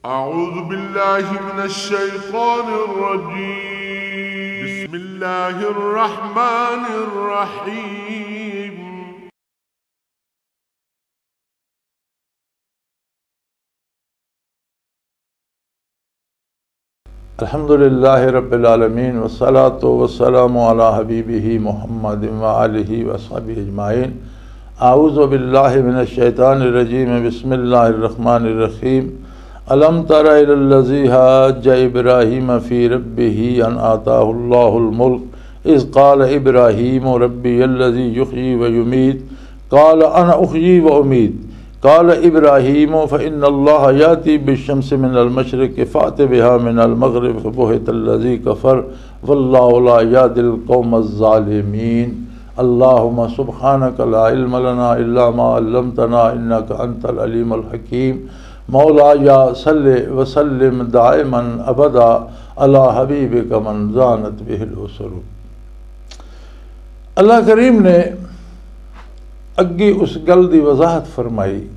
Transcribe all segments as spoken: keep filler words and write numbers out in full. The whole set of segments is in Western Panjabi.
أعوذ بالله من الشيطان الرجيم. بسم الله الرحمن الرحيم. الحمد لله رب العالمين، والصلاة والسلام على حبيبه محمد وآله وصحبه أجمعين. أعوذ بالله من الشيطان الرجيم. بسم الله الرحمن الرحيم. ألم تر إلى الذي حاج إبراهيم في ربه أن آتاه الله الملك إذ قال إبراهيم ربي الذي يحيي ويميت قال أنا أحيي وأميت قال إبراهيم فإن الله يأتي بالشمس من المشرق فأت بها من المغرب فبهت الذي كفر والله لا يهدي القوم الظالمين. اللهم سبحانك لا علم لنا إلا ما علمتنا إنك أنت العليم الحكيم. مولاي صل وسلم دائما أبدا على حبيبك من زانت به الأسر. اللہ کریم نے اگے اس گل دی وضاحت فرمائی،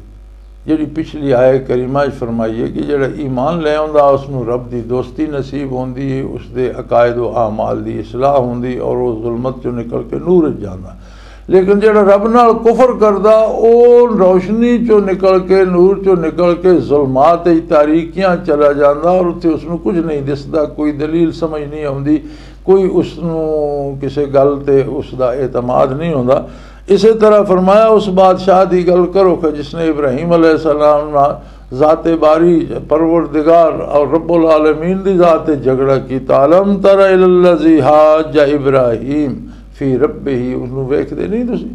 جڑی پچھلی آئے کریمہ وچ فرمائی ہے کہ جڑا ایمان لے آندا، اس نوں رب دی دوستی نصیب ہوندی ہے، اس دے عقائد و اعمال دی اصلاح ہوندی اور وہ ظلمت چوں نکل کے نور وچ جاندا۔ لیکن جڑا رب نال کفر کردا، او روشنی چوں نکل کے، نور چوں نکل کے ظلمات وچ، تاریکیاں چلا جاندا اور اتھے اس نوں کچھ نہیں دسدا، کوئی دلیل سمجھ نہیں آوندی، کوئی اس نوں کسے گل تے اس دا اعتماد نہیں ہوندا۔ اسے طرح فرمایا، اس بادشاہ دی گل کرو کہ جس نے ابراہیم علیہ السلام نال ذات باری، پروردگار اور رب العالمین دی ذات تے جھگڑا کیتا۔ الم تر الی الذی حاج ابراہیم فی ربہ، اس نوں ویکھدے نہیں تسی؟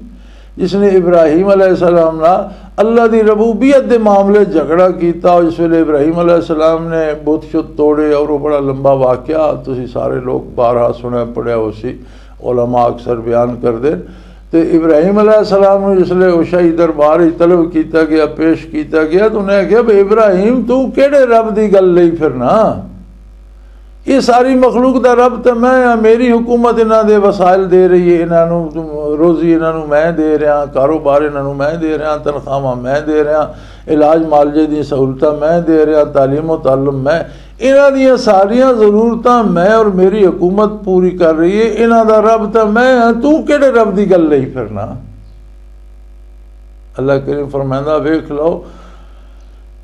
جس نے ابراہیم علیہ السلام نال اللہ دی ربوبیت دے معاملے جھگڑا کیتا، اور جس ویلے ابراہیم علیہ السلام نے بت شت توڑے، اور وہ بڑا لمبا واقعہ تسی سارے لوگ بارہا سنیا پڑھیا ہو سی، علماء اکثر بیان کردے۔ تے ابراہیم علیہ السلام نوں جس لے اوشائی دربار وچ طلب کیتا گیا، پیش کیتا گیا، تو انہیں آکھیا، "بھئی ابراہیم، تو کیڑے رب دی گل لئی پھرنا؟ یہ ساری مخلوق دا رب تے میں ہاں، میری حکومت انہاں دے وسائل دے رہی ہے، انہاں نوں روزی انہاں نوں میں دے رہا، کاروبار انہاں نوں میں دے رہا، تنخواہاں میں دے رہا، علاج معالجے دی سہولتاں میں دے رہا، تعلیم و تعلم میں، انہاں دیاں ساریاں ضرورتاں میں اور میری حکومت پوری کر رہی ہے، انہاں دا رب تے میں ہاں، تو کیڑے رب دی گل لئی پھرنا؟" اللہ کریم فرمائندا، ویکھ لو،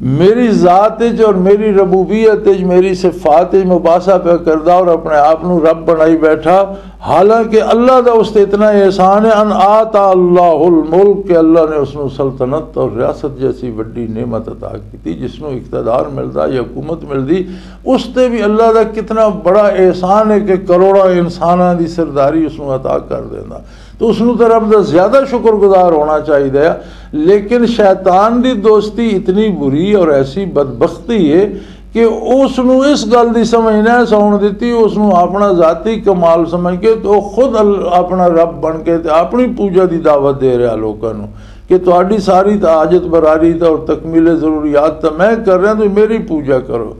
میری ذات وچ اور میری ربوبیت وچ، میری صفات وچ مباحثہ پہ کردا اور اپنے آپ نو رب بنائی بیٹھا، حالانکہ اللہ دا اس تے اتنا احسان ہے، ان آتا اللہ الملک، کہ اللہ نے اس نو سلطنت اور ریاست جیسی بڑی نعمت عطا کی تھی، جس نو اقتدار ملدا یا حکومت ملدی، اس تے بھی اللہ دا کتنا بڑا احسان ہے کہ کروڑاں انساناں دی سرداری اس نو عطا کر دیندا۔ تو اس نوں تے رب دا زیادہ شکر گزار ہونا چاہیدا ہے۔ لیکن شیطان دی دوستی اتنی بری اور ایسی بدبختی ہے کہ اس نوں اس گل دی سمجھ نہ ساؤن دتی، اس نوں اپنا ذاتی کمال سمجھ کے تو خود ال-، اپنا رب بن کے تے اپنی پوجا دی دعوت دے رہا لوکاں نوں کہ تہاڈی ساری تے حاجت براری تے اور تکمیل ضروریات تے میں کر رہا، تو میری پوجا کرو۔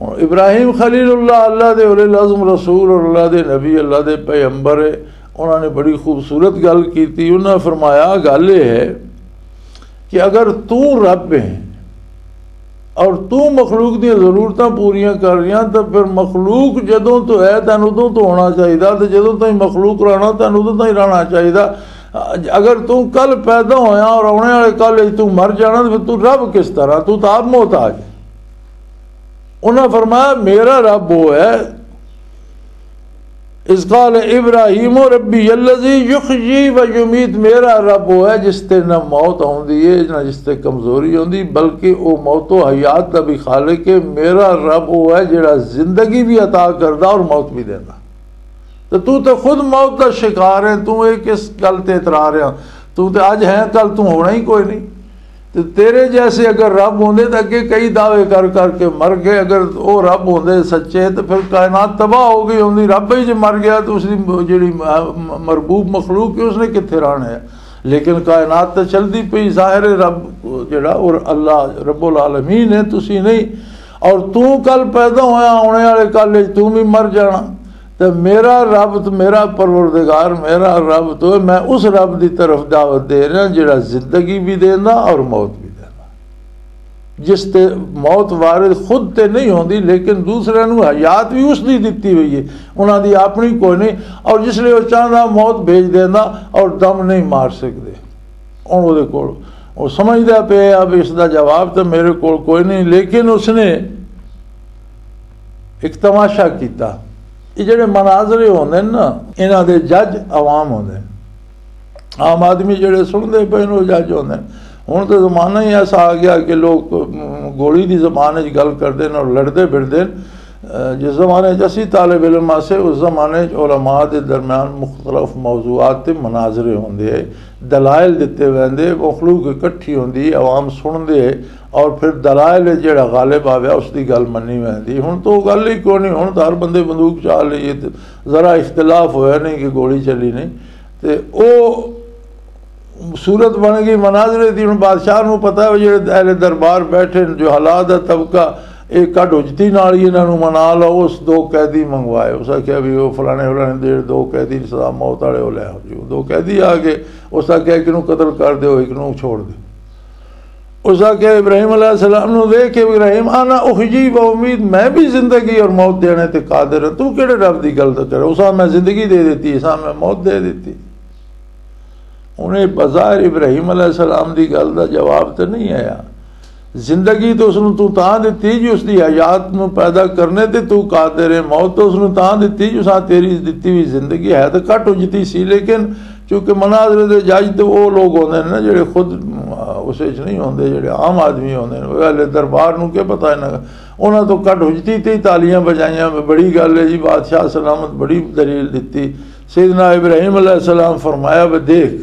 ہن ابراہیم خلیل اللہ، اللہ دے اولے العزم رسول اور اللہ دے نبی، اللہ دے پیغمبر ہے۔ انہاں نے بڑی خوبصورت گل کیتی۔ انہاں فرمایا، گل یہ ہے کہ اگر تو رب ہے اور تو مخلوق دی ضرورتاں پوریاں کر رہی ہیں، تو پھر مخلوق جدوں تو ہے، تینوں ادوں تو ہونا چاہیے، تو جدوں تائیں مخلوق رہنا، تینوں ادوں تائیں رہنا چاہیے۔ اگر تو کل پیدا ہویا اور آنے والے کل وچ تو مر جانا، تو پھر تو رب کس طرح؟ تو تو آپ محتاج ہے۔ انہاں فرمایا، میرا رب وہ ہے، اذ قال ابراہیم ربی الذی یحیی و یمیت، میرا رب وہ ہے جس تے نہ موت ہوندی ہے نہ جس تے کمزوری ہوندی، بلکہ وہ موت و حیات دا بھی خالق ہے۔ میرا رب وہ ہے جڑا زندگی بھی عطا کردا اور موت بھی دیندا۔ تے تو تے خود موت دا شکار ہے، تو یہ کس گل تے اترا رہا؟ تو تے اج ہے، کل تو ہونا ہی کوئی نہیں۔ تے تیرے جیسے اگر رب ہوندے تے اگے کئی دعوے کر کر کے مر گئے۔ اگر او رب ہوندے سچے تے پھر کائنات تباہ ہو گئی ہوندی۔ رب ہی جے مر گیا تو اس دی جڑی م-، م-، مربوب مخلوق ہے، اس نے کتھے رہنا ہے؟ لیکن کائنات تے چلدی پئی، ظاہر ہے رب جڑا اور اللہ رب العالمین ہے، تسی نہیں۔ اور تو کل پیدا ہویا، آنے والے کل وچ تو بھی مر جانا۔ تے میرا رب تو میرا پروردگار، میرا رب تو میں اس رب دی طرف دعوت دے رہا جڑا زندگی بھی دیندا اور موت بھی دیندا۔ جس تے موت وارد خود تے نہیں ہوندی، لیکن دوسرے نوں حیات بھی اس دی دتی ہوئی ہے، انہاں دی اپنی کوئی نہیں۔ اور جس لئے وہ چاہندا موت بھیج دیندا اور دم نہیں مار سکدے۔ ہن اودے کول، وہ سمجھدا پیا اب اس دا جواب تے میرے کول کوئی نہیں، لیکن اس نے ایک تماشا کیتا۔ یہ جڑے مناظرے ہوندے نے نا، انہاں دے جج عوام ہوندے نے۔ عام آدمی جڑے سنتے پے نے، وہ جج ہوندے نے۔ ہن تے زمانہ ہی ایسا آ گیا کہ لوگ گولی دی زبان وچ گل کردے نے اور لڑدے پھردے نے۔ جس زمانے وچ اسی طالب علم آسے، اس زمانے وچ علماء دے درمیان مختلف موضوعات تے مناظرے ہوندے، دلائل دتے ویندے، مخلوق اکٹھی ہوندی، عوام سنتے، اور پھر دلائل وچ جڑا غالب آویا، اس دی گل منی ویندی۔ ہن تو گل ہی کوئی نہیں، ہن تو ہر بندے بندوق چا لئی ہے، تے ذرا اختلاف ہویا نہیں کہ گولی چلی نہیں۔ تے او صورت بن گئی مناظرے دی۔ ہن بادشاہ نوں پتہ ہے، جڑے اہل دربار بیٹھے نے، جو حالات دا طبقہ، اے کڈ حجتی نال ہی انہاں نوں منا لو۔ اس دو قیدی منگوائے، اس آکھیا بھی او فلانے فلانے دے دو قیدی سزا موت والے، او لے آؤ جی۔ او دو قیدی آ گئے، اس آکھیا ایک نوں قتل کر دیو، ایک نوں چھوڑ دیو۔ اس آکھیا ابراہیم علیہ السلام نوں دیکھ کے، ابراہیم، انا احیی و امید، میں بھی زندگی اور موت دینے تے قادر ہاں، تو کیڑے رب دی گل دا کرے؟ اساں میں زندگی دے دیتی، اساں میں موت دے دیتی۔ انہیں بظاہر ابراہیم علیہ السلام دی گل دا جواب تے نہیں آیا۔ زندگی تو اس نوں تو تاں دتی جی، اس دی حیات نوں پیدا کرنے تے تو قادر ہے، موت تو اس نوں تاں دتی جی، اساں تیری دتی ہوئی زندگی ہے تے کٹ اجتی سی، لیکن چونکہ مناظرے دے جج تے او لوگ ہوندے نے نا، جڑے خود، آ، اس وچ نہیں ہوندے، جڑے عام آدمی ہوندے نے، وہ اہل دربار نوں کی پتہ انہاں، انہاں تو کٹ حجتی تے ہی تالیاں بجائیاں، بڑی گل ہے جی، بادشاہ سلامت، بڑی دلیل دتی۔ سیدنا ابراہیم علیہ السلام فرمایا، "وے دیکھ،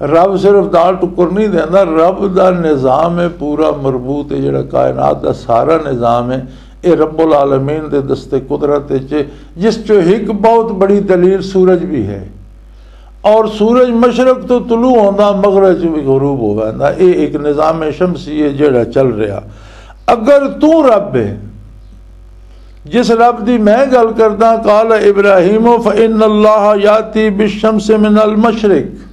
رب صرف دال ٹکر نہیں دیندا، رب دا نظام ہے، پورا مربوط ہے، جڑا کائنات دا سارا نظام ہے، اے رب العالمین دے دست قدرت وچ ہے، جس چوں ایک بہت بڑی دلیل سورج بھی ہے۔" اور سورج مشرق تو طلوع ہوندا، مغرب چ بھی غروب ہو ویندا۔ اے ایک نظام شمسی ہے جڑا چل رہا۔ اگر تو رب ہے، جس رب دی میں گل کردا، قال ابراہیم فإن اللہ یاتی بالشمس من المشرق،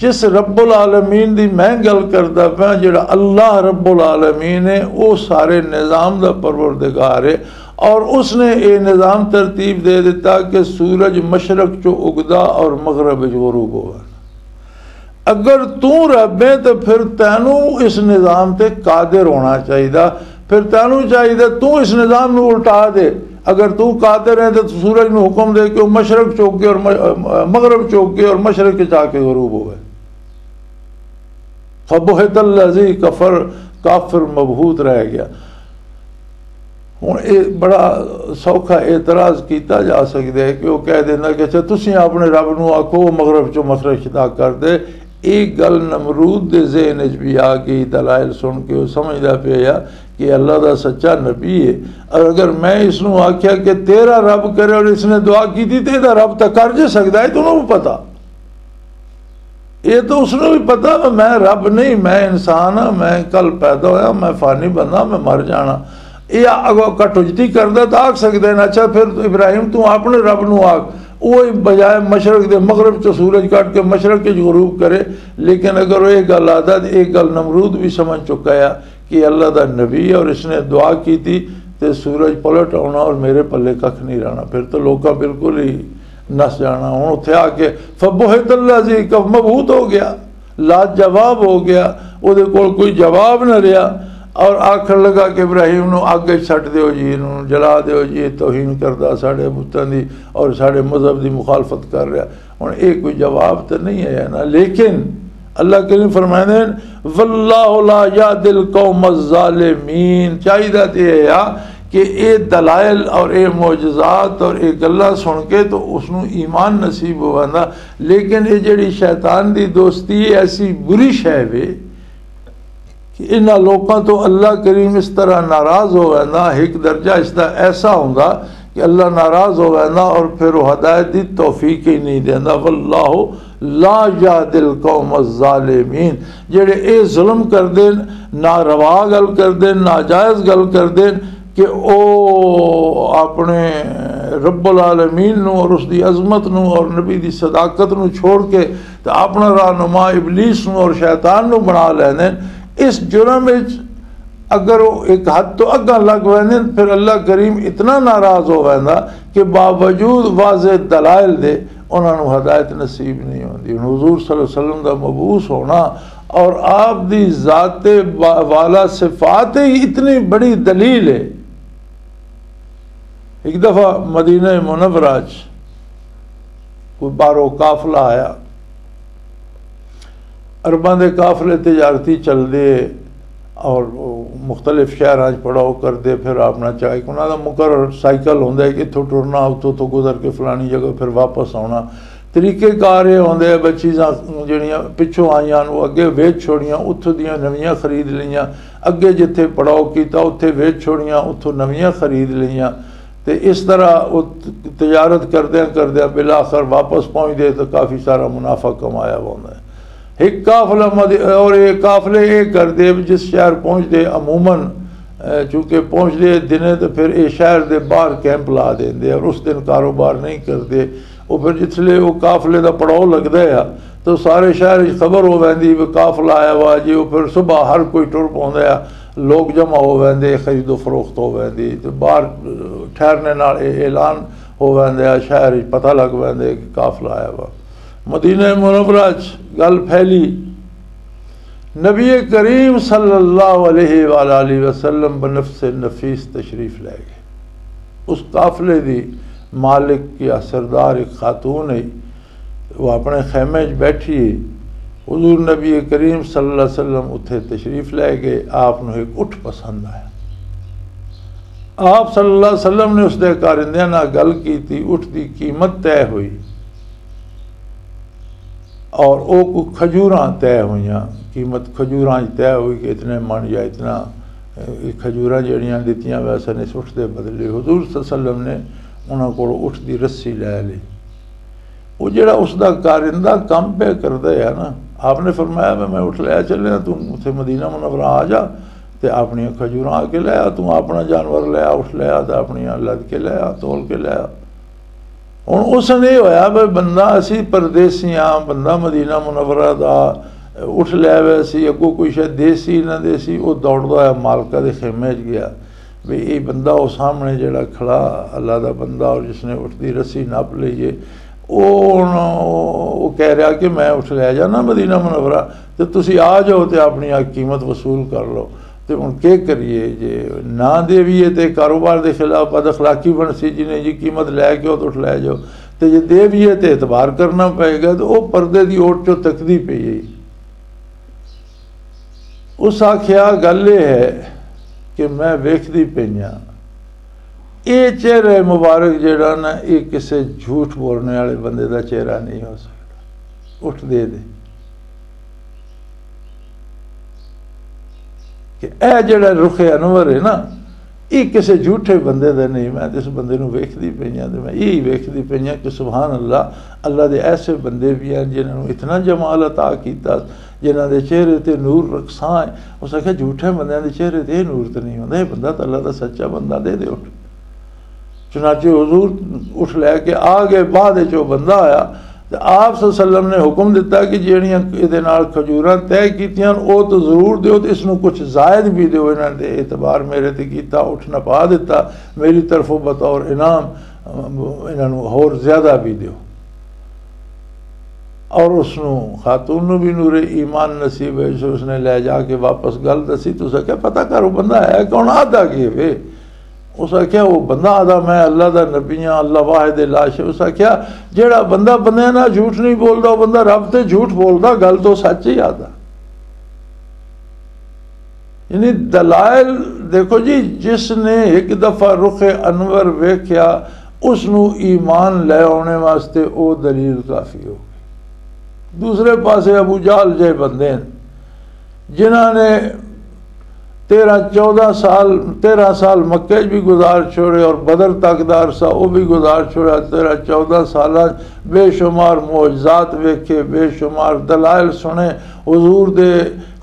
جس رب العالمین دی میں گل کردا پیا، جڑا اللہ رب العالمین ہے، او سارے نظام دا پروردگار ہے، اور اس نے یہ نظام ترتیب دے دیتا کہ سورج مشرق چو اگدا اور مغرب وچ غروب ہوا۔ اگر تو رب ہے تو پھر تینوں اس نظام تے قادر ہونا چاہیے، پھر تینوں چاہیے تو اس نظام نو الٹا دے۔ اگر تو قادر ہے تو سورج نو حکم دے کہ وہ مشرق چوک کے اور م-، مغرب چوک کے اور مشرق کے جا کے غروب ہوئے۔ فبہت الذی کفر، کافر مبہوت رہ گیا۔ ہن اے بڑا سوکھا اعتراض کیتا جا سکدا ہے کہ وہ کہہ دینا کہ اچھا، تسی اپنے رب نو آکھو، وہ مغرب چوں مشرق شدا کر دے۔ ایک گل نمرود دے ذہن وچ بھی آ گئی، دلائل سن کے وہ سمجھدا پیا کہ اللہ دا سچا نبی ہے، اور اگر میں اس نو آکھیا کہ تیرا رب کرے اور اس نے دعا کی تھی، تو یہ رب تک کر جے سکدا ہے، تو انہوں پتا۔ یہ تو اس نوں بھی پتا کہ میں رب نہیں، میں انسان ہاں، میں کل پیدا ہویا، میں فانی بندہ، میں مر جانا۔ یہ اگو کٹوجتی کردا تو آکھ سکدے نے، اچھا پھر ابراہیم تو اپنے رب نوں آکھ، وہ بجائے مشرق دے مغرب چ سورج کٹ کے مشرق وچ غروب کرے۔ لیکن اگر وہ یہ گل آتا تو یہ گل نمرود بھی سمجھ چکا ہے کہ اللہ دا نبی ہے اور اس نے دعا کی تھی تے سورج پلٹ آنا اور میرے پلے ککھ نہیں رہنا، پھر تو لوکاں بالکل ہی نس جانا۔ ہن اتھے آ کے فبہت اللہ جی، کف مبہوت ہو گیا، لاجواب ہو گیا، او دے کول کوئی جواب نہ رہیا۔ اور آکھن لگا کہ ابراہیم نو اگ وچ سٹ دیو جی، انہوں جلا دیو جی، یہ توہین کردا ساڈے بتاں دی اور ساڈے مذہب دی مخالفت کر رہا۔ ہن یہ کوئی جواب تو نہیں ہے نا، لیکن اللہ کریم فرمائے ہیں، واللہ لا یہدی القوم الظالمین۔ چاہیے تو یہ ہے کہ اے دلائل اور اے معجزات اور اے گلاں سن کے تو اس نوں ایمان نصیب ہو ویندا، لیکن اے جڑی شیطان دی دوستی، ایسی بری شے وے کہ انہاں لوکاں تو اللہ کریم اس طرح ناراض ہو ویندا، ایک درجہ اس دا ایسا ہوندا کہ اللہ ناراض ہو ویندا اور پھر وہ ہدایت دی توفیق ہی نہیں دیندا۔ واللہ لا یہدی القوم الظالمین۔ جڑے اے ظلم کردے، ناروا گل کردے، ناجائز گل کردے، کہ او اپنے رب العالمین نو اور اس دی عظمت نو اور نبی دی صداقت نو چھوڑ کے تے اپنا رہنما ابلیس نو اور شیطان نو بنا لیندے۔ اس جرم وچ اگر وہ ایک حد تو اگاں لگ ویندے، پھر اللہ کریم اتنا ناراض ہو ویندا کہ باوجود واضح دلائل دے انہاں نوں ہدایت نصیب نہیں ہوندی۔ ہن حضور صلی اللہ علیہ وسلم دا مبعوث ہونا اور آپ دی ذات با-، والا صفات ہی اتنی بڑی دلیل ہے۔ ایک دفعہ مدینہ منورہ چ کوئی باہروں قافلہ آیا۔ عرباں دے قافلے تجارتی چلدے اور مختلف شہراں چ پڑاؤ کردے، پھر اپنا چاہے انہاں دا مقرر سائیکل ہوندا ہے کہ اتھوں ٹرنا، اتھوں تو گزر کے فلانی جگہ پھر واپس آنا۔ طریقے کار یہ ہوندے، بس چیزاں جڑیاں پچھوں آئیاں نوں اگے ویچ چھوڑیاں، اتھوں دیاں نویاں خرید لئیاں، اگے جتھے پڑاؤ کیتا اتھے ویچ چھوڑیاں، اتھوں نویاں خرید لئیاں۔ تے اس طرح وہ تجارت کردیاں کردیاں بالآخر واپس پہنچ دے تو کافی سارا منافع کمایا ہوندا ہے۔ ایک قافلہ مد-، اور یہ قافلے یہ کردے جس شہر پہنچ دے عموماً، اے، چونکہ پہنچ دے دنے تو پھر یہ شہر دے باہر کیمپ لا دیں دے اور اس دن کاروبار نہیں کردے۔ وہ پھر جس لے وہ قافلے دا پڑاؤ لگدا ہے تو سارے شہر وچ خبر ہو ویندی بھی قافلہ آیا وا جی، وہ پھر صبح ہر کوئی ٹر پوندا ہے، لوگ جمع ہو ویندے، خرید و فروخت ہو ویندی، تے باہر ٹھہرنے نال اے اعلان ہو ویندا ہے، شہر وچ پتہ لگ ویندا ہے کہ قافلہ آیا وا۔ مدینہ منورہ چ گل پھیلی، نبی کریم صلی اللہ علیہ وآلہ وسلم بنفس نفیس تشریف لے گئے۔ اس قافلے دی مالک یا سردار ایک خاتون ہے، وہ اپنے خیمے وچ بیٹھی ہے۔ حضور نبی کریم صلی اللہ علیہ وسلم اتھے تشریف لے گئے، آپ نوں ایک اٹھ پسند آیا۔ آپ صلی اللہ علیہ وسلم نے اس دے کارندیاں نال گل کیتی، اٹھ دی قیمت طے ہوئی اور او کو کھجوراں طے ہوئیاں، قیمت کھجوراں طے ہوئی کہ اتنے من یا اتنا، اے، کھجوراں جڑیاں دتیاں ویسے نے اس اٹھ دے بدلے۔ حضور صلی اللہ علیہ وسلم نے انہاں کولوں اٹھ دی رسی لے لئی۔ وہ جڑا اس دا کارندہ کم پہ کردا ہے نا، آپ نے فرمایا، میں میں اٹھ لے چلے، تم اتھے مدینہ منورہ آ جا تے اپنی کھجوراں آ کے لے آ، تم اپنا جانور لے آ، اٹھ لے آ تے اپنی لد کے لے آ، تول کے لے آ۔ ہن اس نے ہویا بھی بندہ اسی پردیسی ہاں، بندہ مدینہ منورہ دا اٹھ لے وے سی، اگوں کوئی شاید دیسی نہ دیسی، وہ دوڑدا ہوا مالکہ دے خیمے وچ گیا۔ بھی یہ بندہ وہ سامنے جڑا کھڑا اللہ دا بندہ اور جس نے اٹھ دی رسی نپ لئی ہے، وہ ہن وہ کہہ رہا کہ میں اٹھ لے جانا مدینہ منورہ، تے تسی آ جاؤ تے اپنی آ قیمت وصول کر لو۔ تے ہن کی کریے جے نہ دیویے تے کاروبار دے خلاف بد اخلاقی بن سی، جنہیں جی قیمت لے کے تے اٹھ لے جاؤ، تے جے دیویے تے اعتبار کرنا پئے گا۔ تے وہ پردے دی اوٹ چوں تکدی پئی ہے۔ اس آکھیا، گل یہ ہے کہ میں ویکھدی پئی ہاں، یہ چہرہ مبارک جڑا نا، یہ کسے جھوٹ بولنے والے بندے دا چہرہ نہیں ہو سکتا۔ اٹھ دے دے کہ اے جڑا رخ انور ہے نا، یہ کسے جھوٹے بندے دا نہیں۔ میں تے اس بندے نوں ویکھدی پئی ہاں تے میں یہی ویکھدی پئی ہاں کہ سبحان اللہ، اللہ دے ایسے بندے بھی ہیں جنہاں نوں اتنا جمال عطا کیتا، جنہاں دے چہرے تے نور رکھساں ہے۔ اس آکھیا، جھوٹے بندیاں دے چہرے تے یہ نور تے نہیں ہوندا، یہ بندہ تے اللہ دا سچا بندہ دے دے اٹھ۔ چنانچہ حضور اٹھ لے کے آ گئے۔ بعد وچ وہ بندہ آیا تے آپ صلی اللہ علیہ وسلم نے حکم دتا کہ جہڑیاں یہ نال کھجوراں طے کیتیاں، او تو ضرور دیو تے اس نوں کچھ زائد بھی دیو۔ انہاں نے اعتبار میرے تے کیتا، اٹھ نپا دتا، میری طرفوں بطور انعام انہاں نوں ہور زیادہ بھی دیو۔ اور اس نوں، خاتون نوں بھی نور ایمان نصیب ہے، جو اس نے لے جا کے واپس گل دسی۔ تو اسا کیا پتہ کرو بندہ ہے کون، آدھا کی وے؟ اس آکھیا، وہ بندہ آدھا، میں اللہ دا نبی ہاں، اللہ واحد لا شریک۔ اس آکھیا، جیڑا بندہ بندے نال جھوٹ نہیں بولدا، وہ بندہ رب تے جھوٹ بولدا، گل تو سچ ہی آدھا۔ یعنی دلائل دیکھو جی، جس نے ایک دفعہ رخ انور ویکھیا، اس نو ایمان لے آنے واسطے او دلیل کافی ہو گئی۔ دوسرے پاسے ابو جہل جے بندے ہیں، جنہاں نے تیرہ چودہ سال، تیرہ سال مکے چ بھی گزار چھوڑے اور بدر تک دا عرصہ وہ بھی گزار چھوڑا۔ تیرہ چودہ سال بے شمار معجزات ویکھے، بے شمار دلائل سنے، حضور دے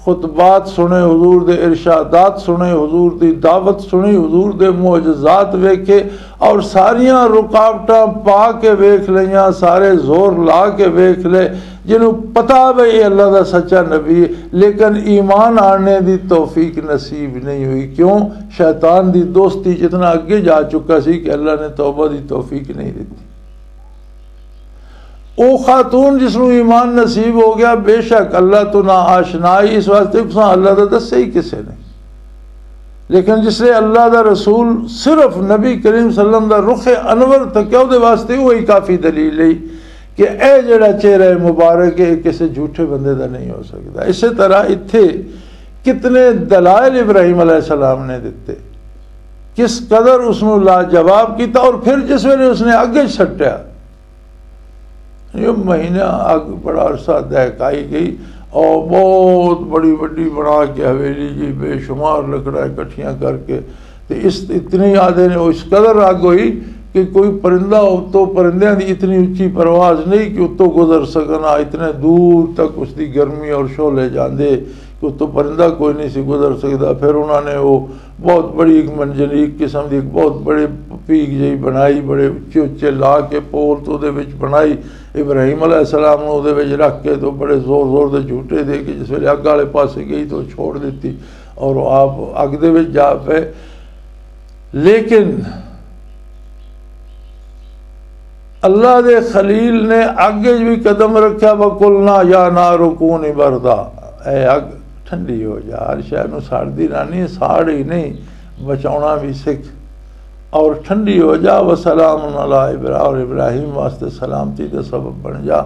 خطبات سنے، حضور دے ارشادات سنے، حضور دی دعوت سنی، حضور دے معجزات ویکھے اور ساریاں رکاوٹاں پا کے ویکھ لیاں، سارے زور لا کے ویکھ لے، جنہوں پتا بھی یہ اللہ دا سچا نبی ہے، لیکن ایمان آنے دی توفیق نصیب نہیں ہوئی۔ کیوں؟ شیطان دی دوستی جتنا اگے جا چکا سی کہ اللہ نے توبہ دی توفیق نہیں دیتی۔ او خاتون جس نوں ایمان نصیب ہو گیا، بے شک اللہ تو نا آشنائی، اس واسطے کہ تساں اللہ دا دسیا ہی کسے نے۔ لیکن جس نے اللہ دا رسول صرف نبی کریم صلی اللہ علیہ وسلم دا رخ انور تکیا، او دے واسطے وہی کافی دلیل ہے کہ اے جڑا چہرہ مبارک ہے، کسے جھوٹے بندے دا نہیں ہو سکتا۔ اسی طرح اتھے کتنے دلائل ابراہیم علیہ السلام نے دتے، کس قدر اس نوں لاجواب کیتا، اور پھر جس ویلے اس نے اگ وچ سٹیا، یہ مہینہ اگ بڑا عرصہ دہکائی گئی، اور بہت بڑی بڑی بنا کے حویلی جی، بے شمار لکڑاں اکٹھیاں کر کے، تے اس اتنی آدھے نے، اس قدر اگ ہوئی کہ کوئی پرندہ اتوں، پرندیاں دی اتنی اچھی پرواز نہیں کہ اتوں گزر سکنا، اتنے دور تک اس دی گرمی اور شعلے جاندے کہ اتوں پرندہ کوئی نہیں سی گزر سکدا۔ پھر انہاں نے وہ بہت بڑی ایک منجنیق قسم دی، ایک بہت بڑی پیگ جہی بنائی، بڑے اچے اچے لا کے پول تو دے وچ بنائی۔ ابراہیم علیہ السلام نوں دے وچ رکھ کے تو بڑے زور زور دے جھوٹے دے کے جس ویلے اگ والے پاسے گئی تو چھوڑ دتی اور آپ اگ دے وچ جا پے۔ لیکن اللہ دے خلیل نے اگ وچ بھی قدم رکھیا، "وَقُلْنَا يَا نَارُ كُونِي بَرْدًا"، اے اگ ٹھنڈی ہو جا، ہر شے نوں ساڑدی رہنی، ساڑ ہی نہیں، بچاونا بھی سکھ، اور ٹھنڈی ہو جا، "وَسَلَامٌ عَلَىٰ إِبْرَا"، اور ابراہیم واسطے سلامتی دا سبب بن جا۔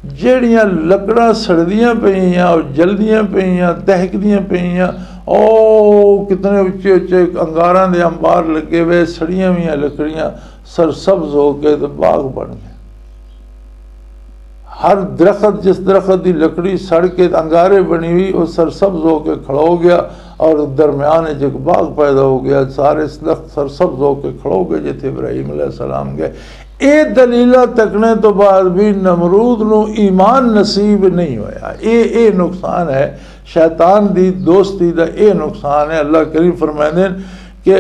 جیڑیاں لکڑاں سڑدیاں پئیاں اور جلدیاں پئیاں، دہکدیاں پئیاں، او کتنے اچے اچے انگاراں دے انبار لگے ہوئے، سڑیاں ہوئیاں لکڑیاں سرسبز ہو کے تے باغ بن گئے۔ ہر درخت، جس درخت دی لکڑی سڑ کے انگارے بنی ہوئی، وہ سرسبز ہو کے کھڑو گیا اور درمیان وچ ایک باغ پیدا ہو گیا۔ سارے درخت سرسبز ہو کے کھڑو گئے جتھے ابراہیم علیہ السلام گئے۔ اے دلیلہ تکنے تو بعد بھی نمرود نو ایمان نصیب نہیں ہویا۔ اے، اے نقصان ہے، شیطان دی دوستی دا اے نقصان ہے۔ اللہ کریم فرمائندے کہ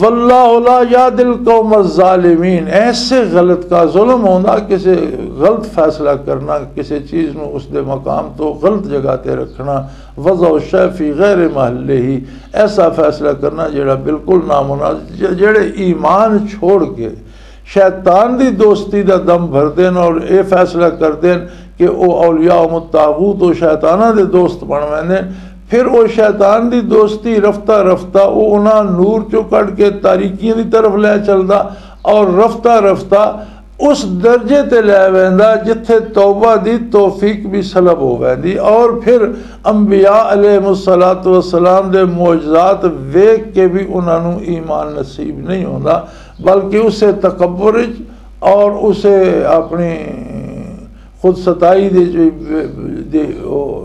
"واللہ لا یہدی القوم الظالمین"، ایسے غلط کا ظلم ہونا، کسی غلط فیصلہ کرنا، کسی چیز نو اس دے مقام تو غلط جگہ تے رکھنا، "وضع الشیء فی غیر محلہ"، ایسا فیصلہ کرنا جڑا بالکل نامناسب، ج-، جڑے ایمان چھوڑ کے شیطان دی دوستی دا دم بھر دین اور اے فیصلہ کر دین کہ او اولیاء و طاغوت و شیطاناں دے دوست بن ویندے، پھر او شیطان دی دوستی رفتہ رفتہ او انہاں نور چوں کڈ کے تاریکیاں دی طرف لے چلدا، اور رفتہ رفتہ اس درجے تے لے ویندا جتھے توبہ دی توفیق بھی سلب ہو ویندی، اور پھر انبیاء علیہ الصلوۃ والسلام دے معجزات ویکھ کے بھی انہاں نوں ایمان نصیب نہیں ہوندا، بلکہ اسے تکبر وچ اور اسے اپنی خود ستائی دے جو، دے، او،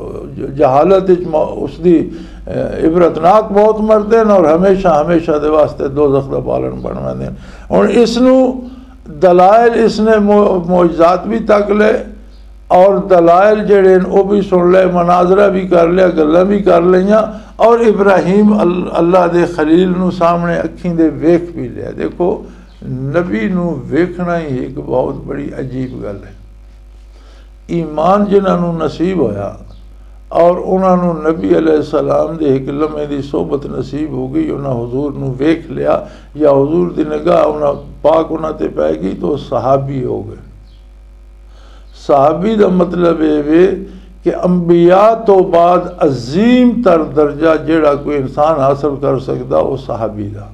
جہالت وچ م-، اس دی، اے، عبرتناک موت مردے نے اور ہمیشہ، ہمیشہ دے واسطے دوزخ دا پالن بن ویندے نے۔ ہن اس نو دلائل اس نے مو-، معجزات بھی تک لے اور دلائل جڑے نے او بھی سن لے، مناظرہ بھی کر لیا، گلاں بھی کر لیاں اور ابراہیم ال-، اللہ دے خلیل نو سامنے اکھیں دے ویکھ بھی لیا۔ دیکھو، نبی نو ویکھنا ہی ایک بہت بڑی عجیب گل ہے۔ ایمان جنہاں نو نصیب ہویا اور انہاں نو نبی علیہ السلام دے ایک لمحے دی صحبت نصیب ہو گئی، انہاں حضور نو ویکھ لیا یا حضور دی نگاہ انہاں پاک انہاں تے پے گئی تو صحابی ہو گئے۔ صحابی دا مطلب اے وے کہ انبیاء تو بعد عظیم تر درجہ جیڑا کوئی انسان حاصل کر سکدا، او صحابی دا۔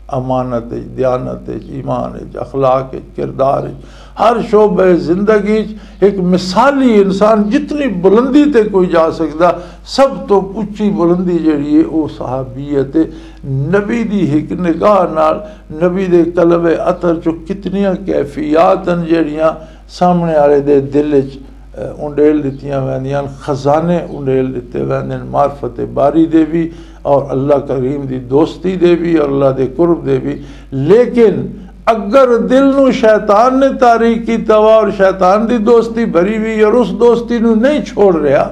امانت اچ، دیانت اچ، ایمان اچ، اخلاق اچ، کردار اچ، ہر شعبہ زندگی اچ ایک مثالی انسان جتنی بلندی تے کوئی جا سکدا، سب تو اچی بلندی جیڑی ہے، او صحابیت ہے۔ نبی دی ایک نگاہ نال، نبی دے قلب عطر چوں کتنیاں کیفیات ہیں جیڑیاں سامنے والے دے دل وچ، اے، انڈیل دتیاں ویندیاں، خزانے انڈیل دتے ویندے نے معرفت باری دے بھی اور اللہ کریم دی دوستی دے بھی اور اللہ دے قرب دے بھی۔ لیکن اگر دل نو شیطان نے تاریک کیتا وا اور شیطان دی دوستی بھری ہوئی اور اس دوستی نو نہیں چھوڑ رہا،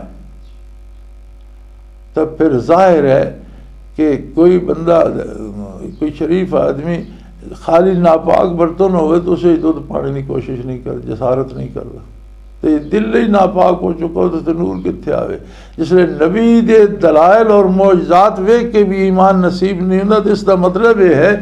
تو پھر ظاہر ہے کہ کوئی بندہ، کوئی شریف آدمی خالی ناپاک برتن ہوئے تو اسے دودھ پانے کی کوشش نہیں کر، جسارت نہیں کرتا۔ تو یہ دل ہی ناپاک ہو چکا ہو تو نور کتھے آوے؟ جس لئے نبی دے دلائل اور معجزات ویکھ کے بھی ایمان نصیب نہیں ہوندا۔ تو اس دا مطلب یہ ہے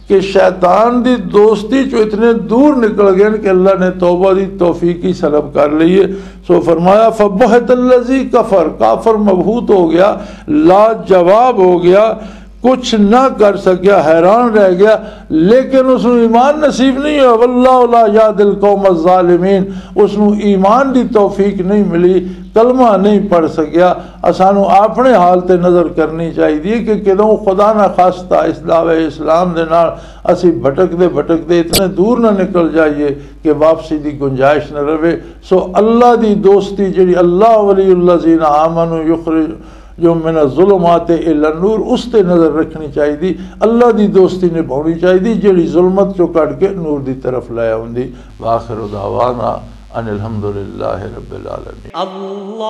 کہ شیطان دی دوستی چوں اتنے دور نکل گئے کہ اللہ نے توبہ دی توفیق ہی سلب کر لی ہے۔ سو فرمایا، فبہت الذی کفر، کافر مبہوت ہو گیا، لاجواب ہو گیا، کچھ نہ کر سکیا، حیران رہ گیا، لیکن اس نوں ایمان نصیب نہیں ہوا۔ واللہ لا یہدی القوم الظالمین، اس نوں ایمان دی توفیق نہیں ملی، کلمہ نہیں پڑھ سکیا۔ اسانوں اپنے حال تے نظر کرنی چاہیے کہ کدوں خدا نہ خواستہ اس دعوے اسلام دے نال اسی بھٹکدے بھٹکدے اتنے دور نہ نکل جائیے کہ واپسی دی گنجائش نہ رہے۔ سو اللہ دی دوستی جڑی، اللہ ولی الذین آمنوا یخرج جو من الظلمات الی النور، اس تے نظر رکھنی چاہیے۔ اللہ دی دوستی نبھاؤنی چاہیے جڑی ظلمت چوں کڈ کے نور دی طرف لے آوندی۔ واخر دعوانا ان الحمد للہ رب العالمین۔ اللہ،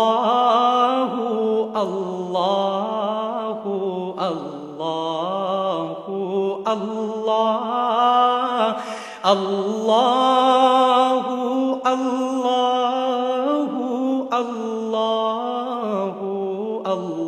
اللہ، اللہ، اللہ، اللہ، اللہ، اللہ، اللہ۔